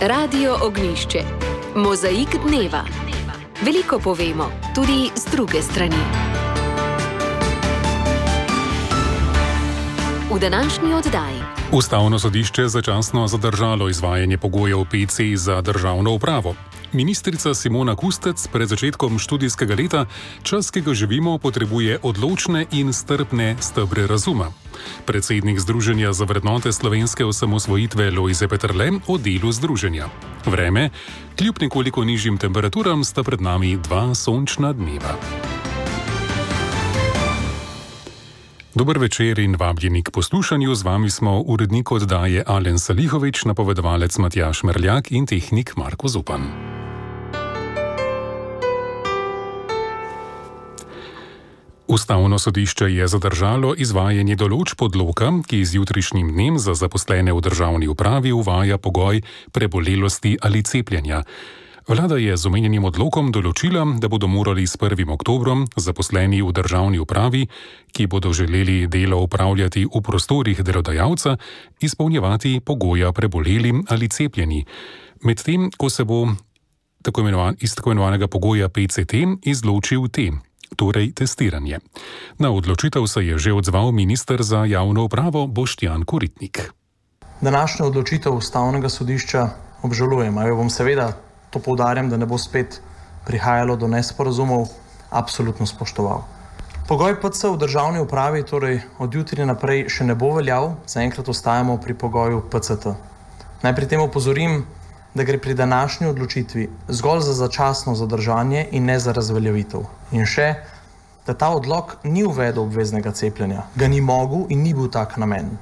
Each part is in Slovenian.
Radio Ognjišče. Mozaik dneva. Veliko povemo, tudi z druge strani. V današnji oddaji. Ustavno sodišče začasno zadržalo izvajanje pogojev PC za državno upravo. Ministrica Simona Kustec pred začetkom študijskega leta, čas, ki ga živimo, potrebuje odločne in strpne stebre razuma. Predsednik Združenja za vrednote slovenske osamosvojitve Lojze Peterle o delu združenja. Vreme, kljub nekoliko nižjim temperaturam, sta pred nami 2 sončna dneva. Dober večer in vabljeni k poslušanju. Z vami smo urednik oddaje Alen Salihovič, napovedovalec Matjaž Merljak in tehnik Marko Zupan. Ustavno sodišče je zadržalo izvajanje določb odloka, ki z jutrišnjim dnem za zaposlene v državni upravi uvaja pogoj prebolelosti ali cepljenja. Vlada je z omenjenim odlokom določila, da bodo morali s 1. oktobrom zaposleni v državni upravi, ki bodo želeli delo opravljati v prostorih delodajalca, izpolnjevati pogoja preboleli ali cepljeni. Medtem, ko se bo iz tako imenovanega pogoja PCT izločil T, torej testiranje. Na odločitev se je že odzval minister za javno upravo Boštjan Koritnik. Današnjo odločitev Ustavnega sodišča obžalujem, a jo bom seveda, to poudarjam, da ne bo spet prihajalo do nesporazumov, absolutno spoštoval. Pogoj PC v državni upravi torej od jutri naprej še ne bo veljal, zaenkrat ostajamo pri pogoju PCT. Naj pri tem opozorim, da gre pri današnji odločitvi zgolj za začasno zadržanje in ne za razveljavitev. In še, da ta odlok ni uvedel obveznega cepljenja, ga ni mogel in ni bil tak namen.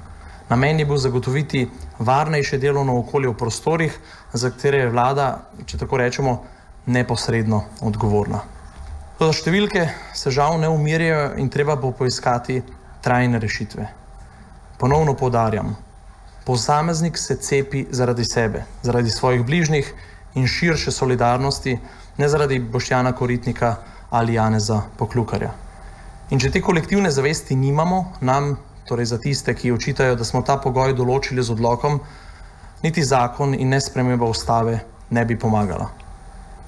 Namen je bil zagotoviti varnejše delovno okolje v prostorih, za katere je vlada, če tako rečemo, neposredno odgovorna. Toda številke se žal ne umirjajo in treba bo poiskati trajne rešitve. Ponovno poudarjam, posameznik se cepi zaradi sebe, zaradi svojih bližnjih in širše solidarnosti, ne zaradi Boštjana Koritnika ali Janeza Poklukarja. In če te kolektivne zavesti nimamo, nam, torej za tiste, ki očitajo, da smo ta pogoj določili z odlokom, niti zakon in ne sprememba ustave ne bi pomagala.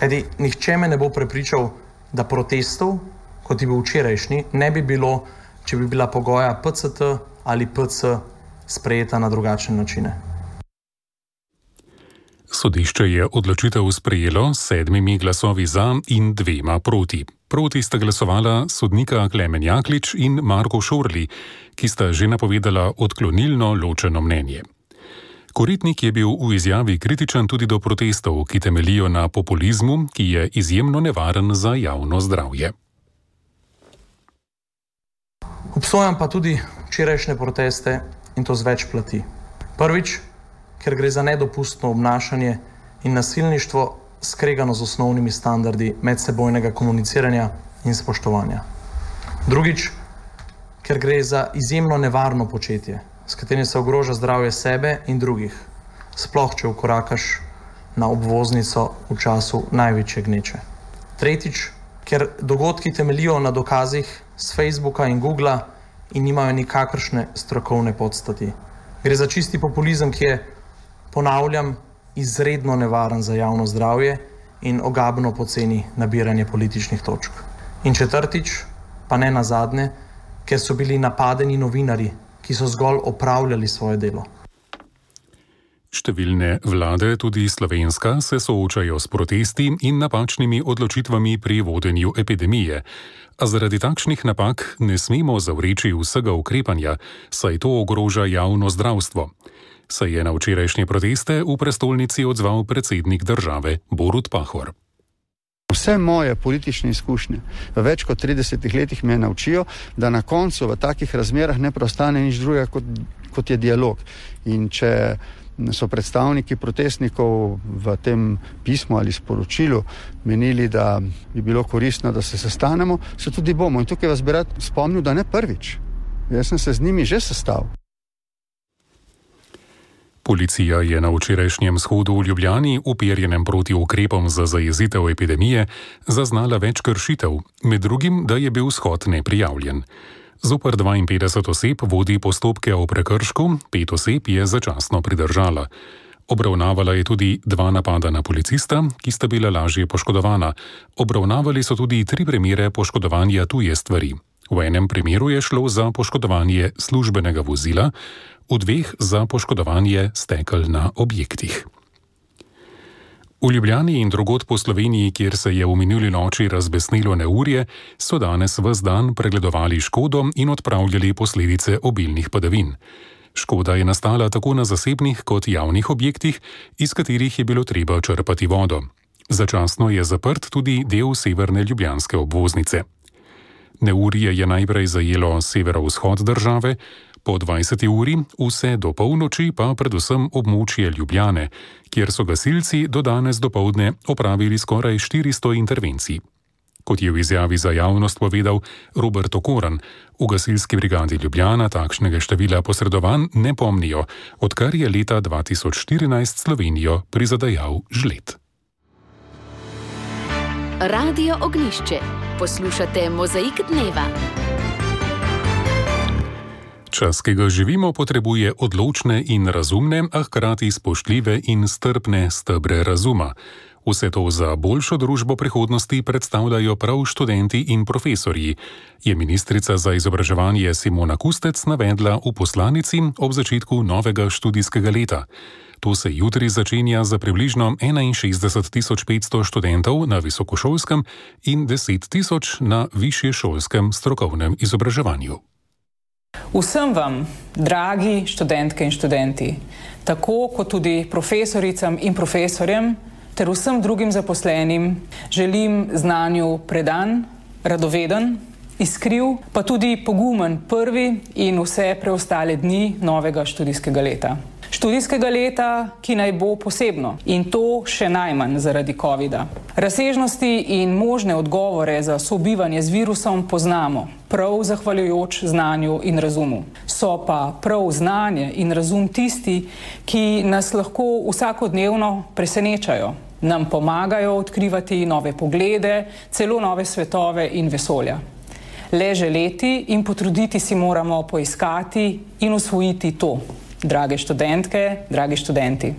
Kajti nihče me ne bo prepričal, da protestov, kot je bil včerajšnji, ne bi bilo, če bi bila pogoja PCT ali PC sprejeta na drugačne načine. Sodišče je odločitev sprejelo s 7 glasovi za in 2 proti. Proti sta glasovala sodnika Klemen Jaklič in Marko Šorli, ki sta že napovedala odklonilno ločeno mnenje. Koritnik je bil v izjavi kritičen tudi do protestov, ki temeljijo na populizmu, ki je izjemno nevaren za javno zdravje. Obsojam pa tudi včerajšnje proteste in to z več plati. Prvič, ker gre za nedopustno obnašanje in nasilništvo skregano z osnovnimi standardi medsebojnega komuniciranja in spoštovanja. Drugič, ker gre za izjemno nevarno početje, s katerim se ogroža zdravje sebe in drugih, sploh če vkorakaš na obvoznico v času največje gneče. Tretjič, ker dogodki temeljijo na dokazih z Facebooka in Googla in nimajo nikakršne strokovne podstati. Gre za čisti populizem, ki je, ponavljam, izredno nevaren za javno zdravje in ogabno poceni nabiranje političnih točk. In četrtič, pa ne nazadnje, ker so bili napadeni novinarji, ki so zgolj opravljali svoje delo. Številne vlade, tudi slovenska, se soočajo s protesti in napačnimi odločitvami pri vodenju epidemije. A zaradi takšnih napak ne smemo zavreči vsega ukrepanja, saj to ogroža javno zdravstvo. Se je na včerajšnje proteste v prestolnici odzval predsednik države Borut Pahor. Vse moje politične izkušnje v več kot 30 letih me naučijo, da na koncu v takih razmerah ne preostane nič drugega kot je dialog. In če so predstavniki protestnikov v tem pismu ali sporočilu menili, da bi bilo koristno, da se sestanemo, se tudi bomo. In tukaj vas bi rad spomnil, da ne prvič. Jaz sem se z njimi že sestal. Policija je na včerajšnjem shodu v Ljubljani, uperjenem proti ukrepom za zajezitev epidemije, zaznala več kršitev, med drugim, da je bil shod neprijavljen. Zoper 52 oseb vodi postopke o prekršku, 5 oseb je začasno pridržala. Obravnavala je tudi 2 napada na policista, ki sta bila lažje poškodovana. Obravnavali so tudi 3 primere poškodovanja tuje stvari. V enem primeru je šlo za poškodovanje službenega vozila, v 2 za poškodovanje stekel na objektih. V Ljubljani in drugod po Sloveniji, kjer se je v minuli noči razbesnilo neurje, so danes ves dan pregledovali škodo in odpravljali posledice obilnih padavin. Škoda je nastala tako na zasebnih kot javnih objektih, iz katerih je bilo treba črpati vodo. Začasno je zaprt tudi del severne ljubljanske obvoznice. Neurje je najprej zajelo severovzhod države, po 20. uri vse do polnoči pa predvsem območje Ljubljane, kjer so gasilci do danes dopoldne opravili skoraj 400 intervencij. Kot je v izjavi za javnost povedal Robert Okoran, v gasilski brigadi Ljubljana takšnega števila posredovanj ne pomnijo, odkar je leta 2014 Slovenijo prizadejal žled. Radio Ognjišče. Poslušate Mozaik dneva. Čas, ki ga živimo, potrebuje odločne in razumne, a hkrati spoštljive in strpne stebre razuma. Vse to za boljšo družbo prihodnosti predstavljajo prav študenti in profesorji, je ministrica za izobraževanje Simona Kustec navedla v poslanici ob začetku novega študijskega leta. To se jutri začenja za približno 61.500 študentov na visokošolskem in 10.000 na višješolskem strokovnem izobraževanju. Vsem vam, dragi študentke in študenti, tako kot tudi profesoricam in profesorjem ter vsem drugim zaposlenim, želim znanju predan, radoveden, iskriv, pa tudi pogumen prvi in vse preostale dni novega študijskega leta. Študijskega leta, ki naj bo posebno, in to še najmanj zaradi covida. Razsežnosti in možne odgovore za sobivanje z virusom poznamo, prav zahvaljujoč znanju in razumu. So pa prav znanje in razum tisti, ki nas lahko vsakodnevno presenečajo, nam pomagajo odkrivati nove poglede, celo nove svetove in vesolja. Le želeti in potruditi si moramo poiskati in usvojiti to. Drage študentke, dragi študenti.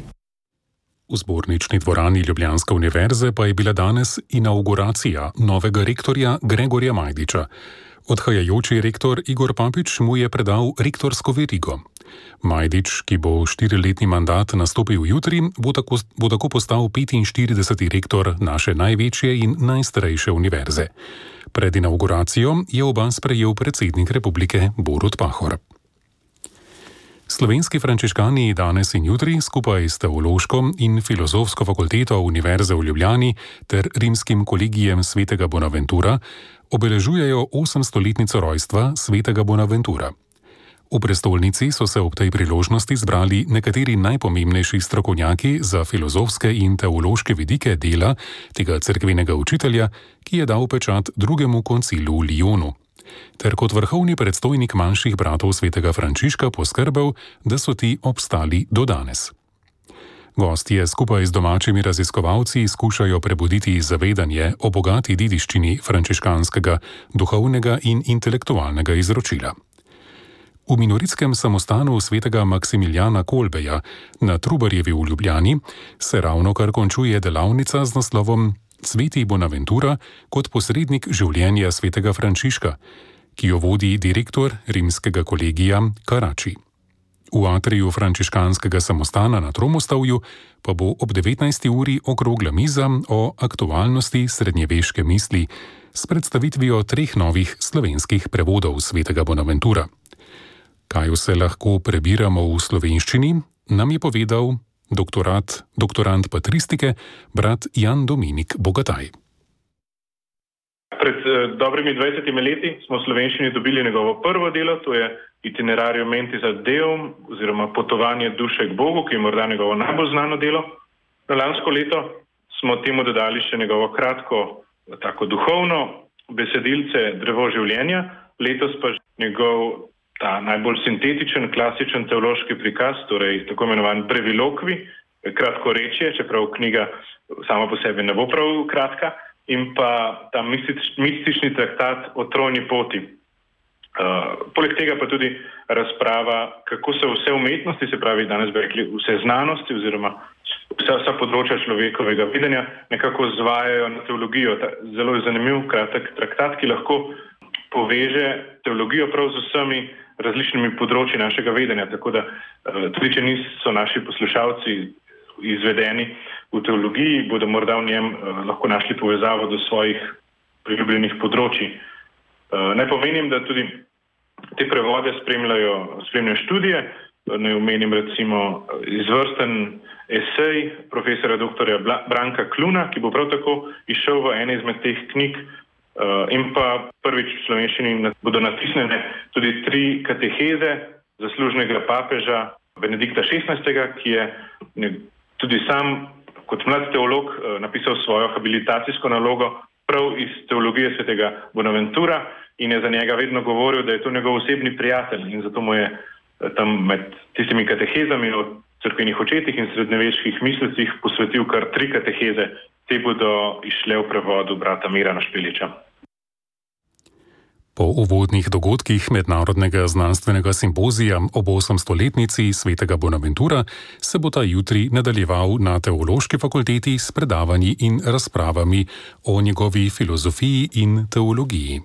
V zbornični dvorani Ljubljanske univerze pa je bila danes inauguracija novega rektorja Gregorja Majdiča. Odhajajoči rektor Igor Papič mu je predal rektorsko verigo. Majdič, ki bo 4-letni mandat nastopil jutri, bo tako postal 45. rektor naše največje in najstarejše univerze. Pred inauguracijo je oba sprejel predsednik republike Borut Pahor. Slovenski frančiškani danes in jutri skupaj s Teološko in Filozofsko fakulteto Univerze v Ljubljani ter Rimskim kolegijem svetega Bonaventura obeležujejo 800-letnico rojstva svetega Bonaventura. V prestolnici so se ob tej priložnosti zbrali nekateri najpomembnejši strokovnjaki za filozofske in teološke vidike dela tega cerkvenega učitelja, ki je dal pečat drugemu koncilu v Lyonu, ter kot vrhovni predstojnik manjših bratov svetega Frančiška poskrbel, da so ti obstali do danes. Gostje skupaj z domačimi raziskovalci skušajo prebuditi zavedanje o bogati dediščini frančiškanskega, duhovnega in intelektualnega izročila. V minoritskem samostanu svetega Maksimiljana Kolbeja na Trubarjevi v Ljubljani se ravnokar končuje delavnica z naslovom Sveti Bonaventura kot posrednik življenja svetega Frančiška, ki jo vodi direktor rimskega kolegija Karači. V atriju frančiškanskega samostana na Tromostovju pa bo ob 19. uri okrogla miza o aktualnosti srednjeveške misli s predstavitvijo 3 novih slovenskih prevodov svetega Bonaventura. Kaj vse lahko prebiramo v slovenščini, nam je povedal doktorant patristike, brat Jan Dominik Bogataj. Pred dobrimi 20 leti smo v slovenščini dobili njegovo prvo delo, to je Itinerarium mentis ad Deum, oziroma Potovanje duše k Bogu, ki je morda njegovo najbolj znano delo. Na lansko leto smo temu dodali še njegovo kratko, tako duhovno besedilce Drevo življenja, letos pa njegov ta najbolj sintetičen, klasičen teološki prikaz, torej tako imenovan Brevilokvi, kratkorečje, čeprav knjiga sama po sebi ne bo prav kratka, in pa ta mistični traktat o trojni poti. Poleg tega pa tudi razprava, kako se vse umetnosti, se pravi danes bi rekli vse znanosti oziroma vsa področja človekovega vedenja nekako zvajajo na teologijo. Zelo je zanimiv kratek traktat, ki lahko poveže teologijo prav z vsemi različnimi področji našega vedenja. Tako da tudi, če niso naši poslušalci izvedeni v teologiji, bodo morda v njem lahko našli povezavo do svojih priljubljenih področji. Naj pomenim, da tudi te prevode spremljajo študije. Naj omenim recimo izvrsten esej profesora doktorja Branka Kluna, ki bo prav tako izšel v eni izmed teh knjig, in pa prvič v slovenščini bodo natisnjene tudi 3 kateheze zaslužnega papeža Benedikta XVI, ki je tudi sam kot mlad teolog napisal svojo habilitacijsko nalogo prav iz teologije svetega Bonaventura in je za njega vedno govoril, da je to njegov osebni prijatelj, in zato mu je tam med tistimi katehezami o cerkvenih očetih in srednjeveških mislecih posvetil kar 3 kateheze. Te bodo izšle v prevodu brata Mirana Špeliča. Po uvodnih dogodkih Mednarodnega znanstvenega simpozija ob 800-letnici svetega Bonaventura se bo ta jutri nadaljeval na Teološki fakulteti s predavanji in razpravami o njegovi filozofiji in teologiji.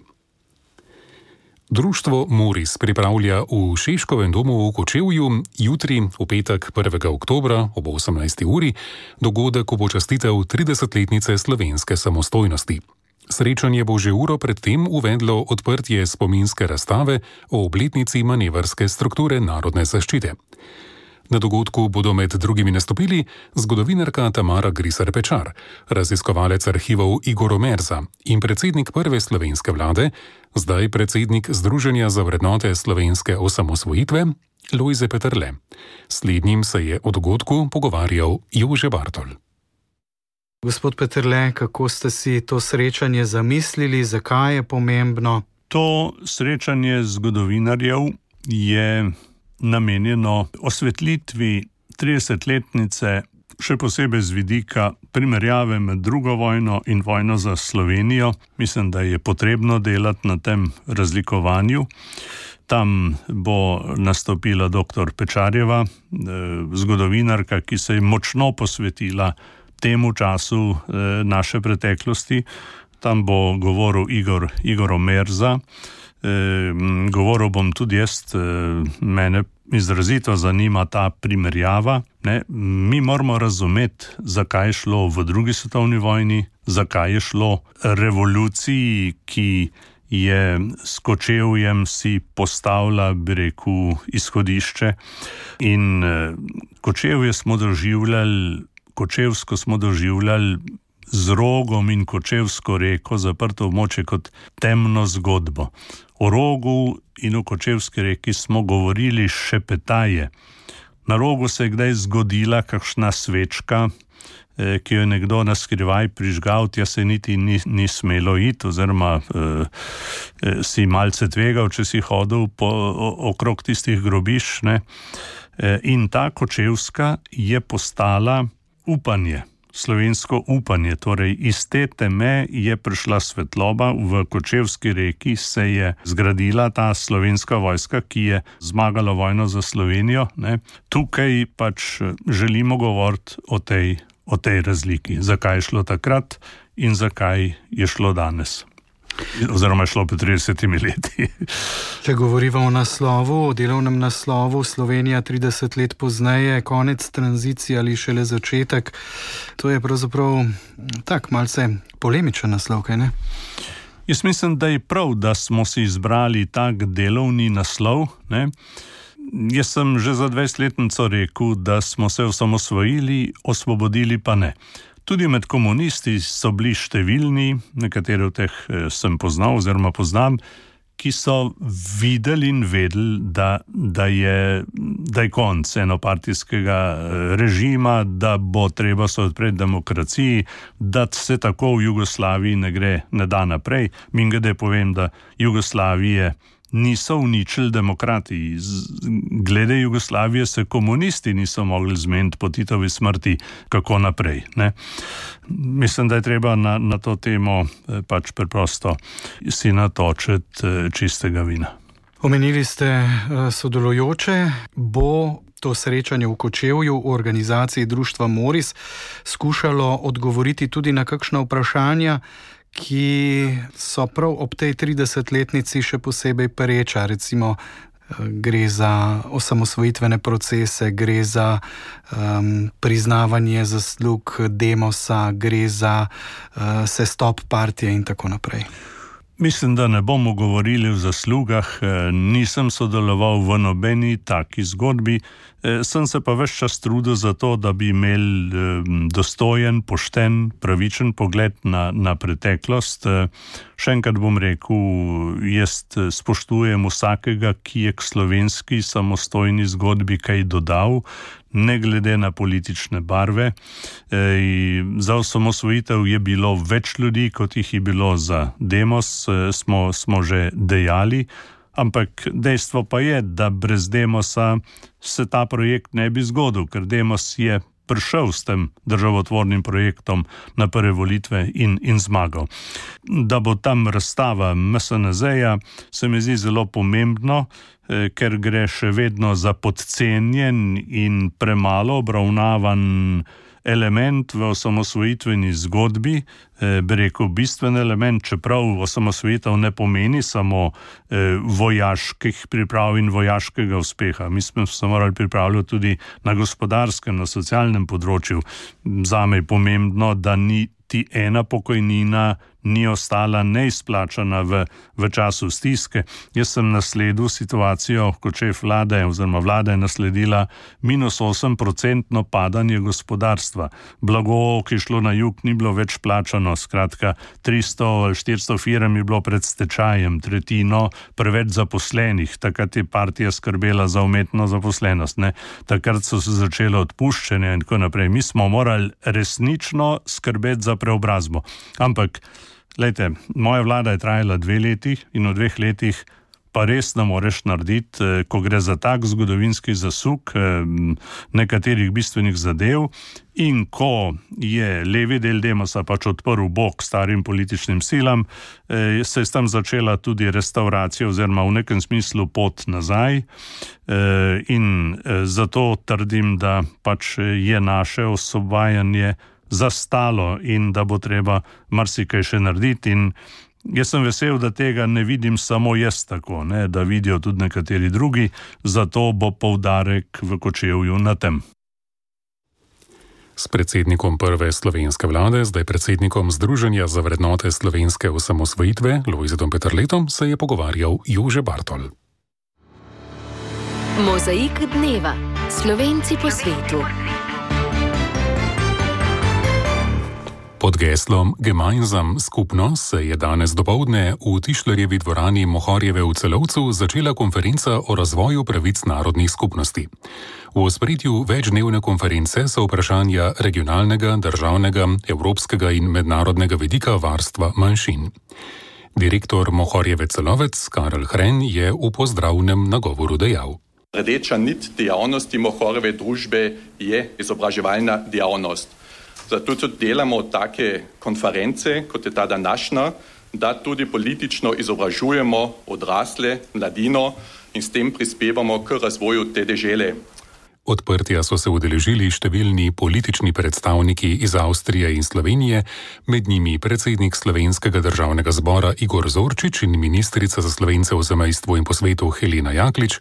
Društvo Moris pripravlja v Šeškovem domu v Kočevju jutri, v petek 1. oktobra ob 18. uri, dogodek v počastitev 30-letnice slovenske samostojnosti. Srečanje bo že uro predtem uvedlo odprtje spominske razstave o obletnici manevrske strukture narodne zaščite. Na dogodku bodo med drugimi nastopili zgodovinarka Tamara Grisar-Pečar, raziskovalec arhivov Igor Omerza in predsednik prve slovenske vlade, zdaj predsednik Združenja za vrednote slovenske osamosvojitve, Lojze Peterle. Slednjim se je o dogodku pogovarjal Jože Bartol. Gospod Peterle, kako ste si to srečanje zamislili, zakaj je pomembno? To srečanje zgodovinarjev je namenjeno osvetlitvi 30-letnice, še posebej z vidika primerjave med drugo vojno in vojno za Slovenijo. Mislim, da je potrebno delati na tem razlikovanju. Tam bo nastopila dr. Pečarjeva, zgodovinarka, ki se je močno posvetila temu času naše preteklosti. Tam bo govoril Igor Omerza. Govoril bom tudi jaz, mene izrazito zanima ta primerjava. Mi moramo razumeti, zakaj je šlo v drugi svetovni vojni, zakaj je šlo revoluciji, ki je s Kočevjem si postavila, bi rekel, izhodišče. In Kočevsko smo doživljali z Rogom in Kočevsko reko zaprto območje kot temno zgodbo. O Rogu in o Kočevski reki smo govorili šepetaje. Na Rogu se je kdaj zgodila kakšna svečka, ki jo je nekdo na skrivaj prižgal, tja se niti ni smelo iti, oziroma si malce tvegal, če si hodil okrog tistih grobišč. In ta Kočevska je postala upanje. Slovensko upanje, torej iz te teme je prišla svetloba, v Kočevski reki se je zgradila ta slovenska vojska, ki je zmagala vojno za Slovenijo. Tukaj pač želimo govoriti o tej razliki, zakaj je šlo takrat in zakaj je šlo danes. Oziroma je šlo pred 30 leti. Če govorimo o naslovu, o delovnem naslovu Slovenija 30 let pozneje, konec tranzicije ali šele začetek, to je pravzaprav tak malce polemičen naslov, kaj ne? Jaz mislim, da je prav, da smo si izbrali tak delovni naslov. Jaz sem že za 20-letnico rekel, da smo se osamosvojili, osvobodili pa ne. Tudi med komunisti so bili številni, nekatere od teh sem poznal oziroma poznam, ki so videli in vedeli, da je konec enopartijskega režima, da bo treba se odpreti demokraciji, da se tako v Jugoslaviji ne da naprej. Mimogrede povem, da Jugoslavije niso uničili demokrati. Glede Jugoslavije se komunisti niso mogli zmeniti po Titovi smrti, kako naprej. Mislim, da je treba na to temo pač preprosto si natočiti čistega vina. Omenili ste sodelujoče, bo to srečanje v Kočevju v organizaciji Društva Moris skušalo odgovoriti tudi na kakšna vprašanja, ki so prav ob tej 30-letnici še posebej pereča, recimo gre za osamosvojitvene procese, gre za priznavanje zaslug Demosa, gre za sestop partije in tako naprej. Mislim, da ne bomo govorili o zaslugah, nisem sodeloval v nobeni taki zgodbi, sem se pa ves čas trudil za to, da bi imeli dostojen, pošten, pravičen pogled na preteklost. Še enkrat bom rekel, jaz spoštujem vsakega, ki je k slovenski samostojni zgodbi kaj dodal, ne glede na politične barve. Za osamosvojitev je bilo več ljudi, kot jih je bilo za Demos, smo že dejali, ampak dejstvo pa je, da brez Demosa se ta projekt ne bi zgodil, ker Demos je prišel s tem državotvornim projektom na prve volitve in zmagal. Da bo tam razstava MSNZ-ja, se mi zdi zelo pomembno, ker gre še vedno za podcenjen in premalo obravnavan element v osamosvojitveni zgodbi, bi rekel bistven element, čeprav osamosvojitev ne pomeni samo vojaških priprav in vojaškega uspeha. Mi smo se morali pripravljati tudi na gospodarskem, na socialnem področju. Zame je pomembno, da niti ena pokojnina ni ostala neizplačana v času stiske. Jaz sem nasledil situacijo, kot šef vlade, oziroma vlada je nasledila -8% padanje gospodarstva. Blago, ki je šlo na jug, ni bilo več plačano, skratka 300 ali 400 firm je bilo pred stečajem, tretjino preveč zaposlenih. Takrat je partija skrbela za umetno zaposlenost, ne? Takrat so se začele odpuščanja in tako naprej. Mi smo morali resnično skrbeti za preobrazbo. Ampak glejte, moja vlada je trajala 2 leti in v 2 letih pa res ne moreš narediti, ko gre za tak zgodovinski zasuk nekaterih bistvenih zadev in ko je levi del Demosa pač odprl bok starim političnim silam, se je tam začela tudi restauracija oziroma v nekem smislu pot nazaj in zato trdim, da pač je naše osvobajanje zastalo in da bo treba marsikaj še narediti in jaz sem vesel, da tega ne vidim samo jaz tako, ne, da vidijo tudi nekateri drugi, zato bo poudarek v Kočevju na tem. S predsednikom prve slovenske vlade, zdaj predsednikom Združenja za vrednote slovenske osamosvojitve, Lojzetom Peterletom, se je pogovarjal Jože Bartol. Mozaik dneva. Slovenci po svetu. Pod geslom Gemeinsam skupno se je danes dopoldne v Tišlerjevi dvorani Mohorjeve v Celovcu začela konferenca o razvoju pravic narodnih skupnosti. V ospredju večdnevne konference so vprašanja regionalnega, državnega, evropskega in mednarodnega vidika varstva manjšin. Direktor Mohorjeve Celovec Karel Hren je v pozdravnem nagovoru dejal. Rdeča nit dejavnosti Mohorjeve družbe je izobraževalna dejavnost. Zato tudi delamo take konference, kot je ta današnja, da tudi politično izobražujemo odrasle, mladino in s tem prispevamo k razvoju te dežele. Odprtja so se udeležili številni politični predstavniki iz Avstrije in Slovenije, med njimi predsednik Slovenskega državnega zbora Igor Zorčič in ministrica za Slovence v zamejstvu in po svetu Helena Jaklič,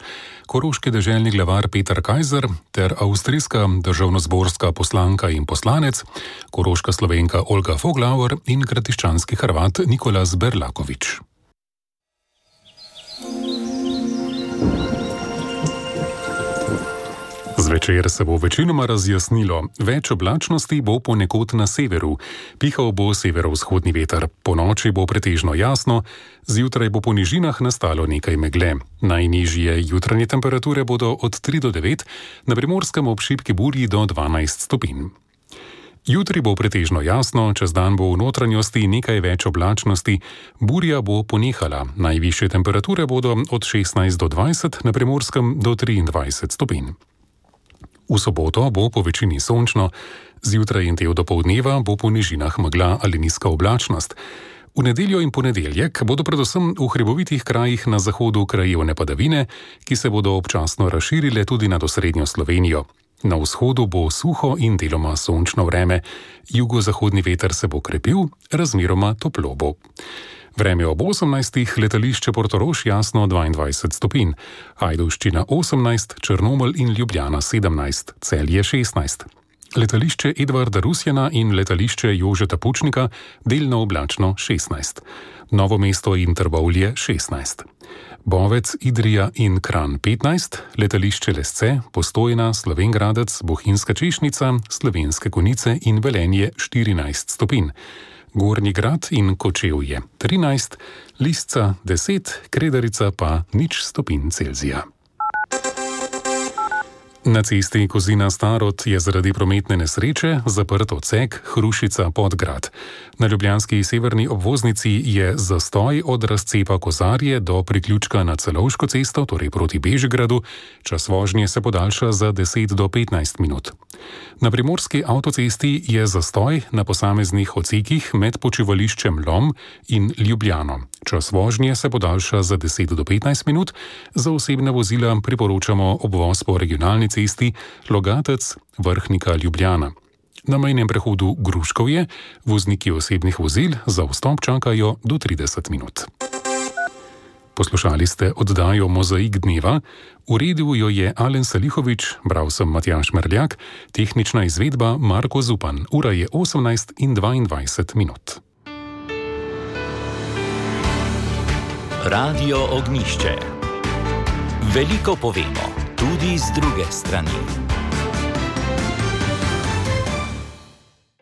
koroški deželni glavar Peter Kajzer ter avstrijska državnozborska poslanka in poslanec, koroška Slovenka Olga Foglauer in gradiščanski Hrvat Nikolas Berlakovič. Zvečer se bo večinoma razjasnilo, več oblačnosti bo ponekod na severu, pihal bo severovzhodni veter, ponoči bo pretežno jasno, zjutraj bo po nižinah nastalo nekaj megle. Najnižje jutranje temperature bodo od 3 do 9, na Primorskem ob šibki burji do 12 stopinj. Jutri bo pretežno jasno, čez dan bo v notranjosti nekaj več oblačnosti, burja bo ponehala, najvišje temperature bodo od 16 do 20, na Primorskem do 23 stopinj. V soboto bo po večini sončno, zjutraj in del dopoldneva bo po nižinah megla ali nizka oblačnost. V nedeljo in ponedeljek bodo predvsem v hribovitih krajih na zahodu krajevne padavine, ki se bodo občasno razširile tudi nad osrednjo Slovenijo. Na vzhodu bo suho in deloma sončno vreme, jugozahodni veter se bo krepil, razmeroma toplo bo. Vreme ob 18. letališče Portorož jasno 22 stopinj, Ajdovščina 18, Črnomelj in Ljubljana 17, Celje 16. Letališče Edvarda Rusjana in letališče Jožeta Pučnika delno oblačno 16. Novo mesto in Trbovlje 16. Bovec, Idrija in Kranj 15, letališče Lesce, Postojna, Slovenj Gradec, Bohinjska Češnica, Slovenske Konjice in Velenje 14 stopinj. Gornji Grad in Kočevje 13, Lisca 10, Kredarica pa 0 stopinj Celzija. Na cesti Kozina-Starod je zaradi prometne nesreče zaprt odsek Hrušica-Podgrad. Na ljubljanski severni obvoznici je zastoj od razcepa Kozarje do priključka na Celovško cesto, torej proti Bežigradu. Čas vožnje se podaljša za 10 do 15 minut. Na primorski avtocesti je zastoj na posameznih odsekih med počivališčem Lom in Ljubljano. Čas vožnje se podaljša za 10 do 15 minut. Za osebne vozila priporočamo obvoz po regionalni cesti Logatec, Vrhnika, Ljubljana. Na mejnem prehodu Gruškovje vozniki osebnih vozil za vstop čakajo do 30 minut. Poslušali ste oddajo Mozaik dneva, uredil jo je Alen Salihovič, bral sem Matjaž Merljak, tehnična izvedba Marko Zupan. Ura je 18:22 minut. Radio Ognjišče. Veliko povemo, tudi z druge strani.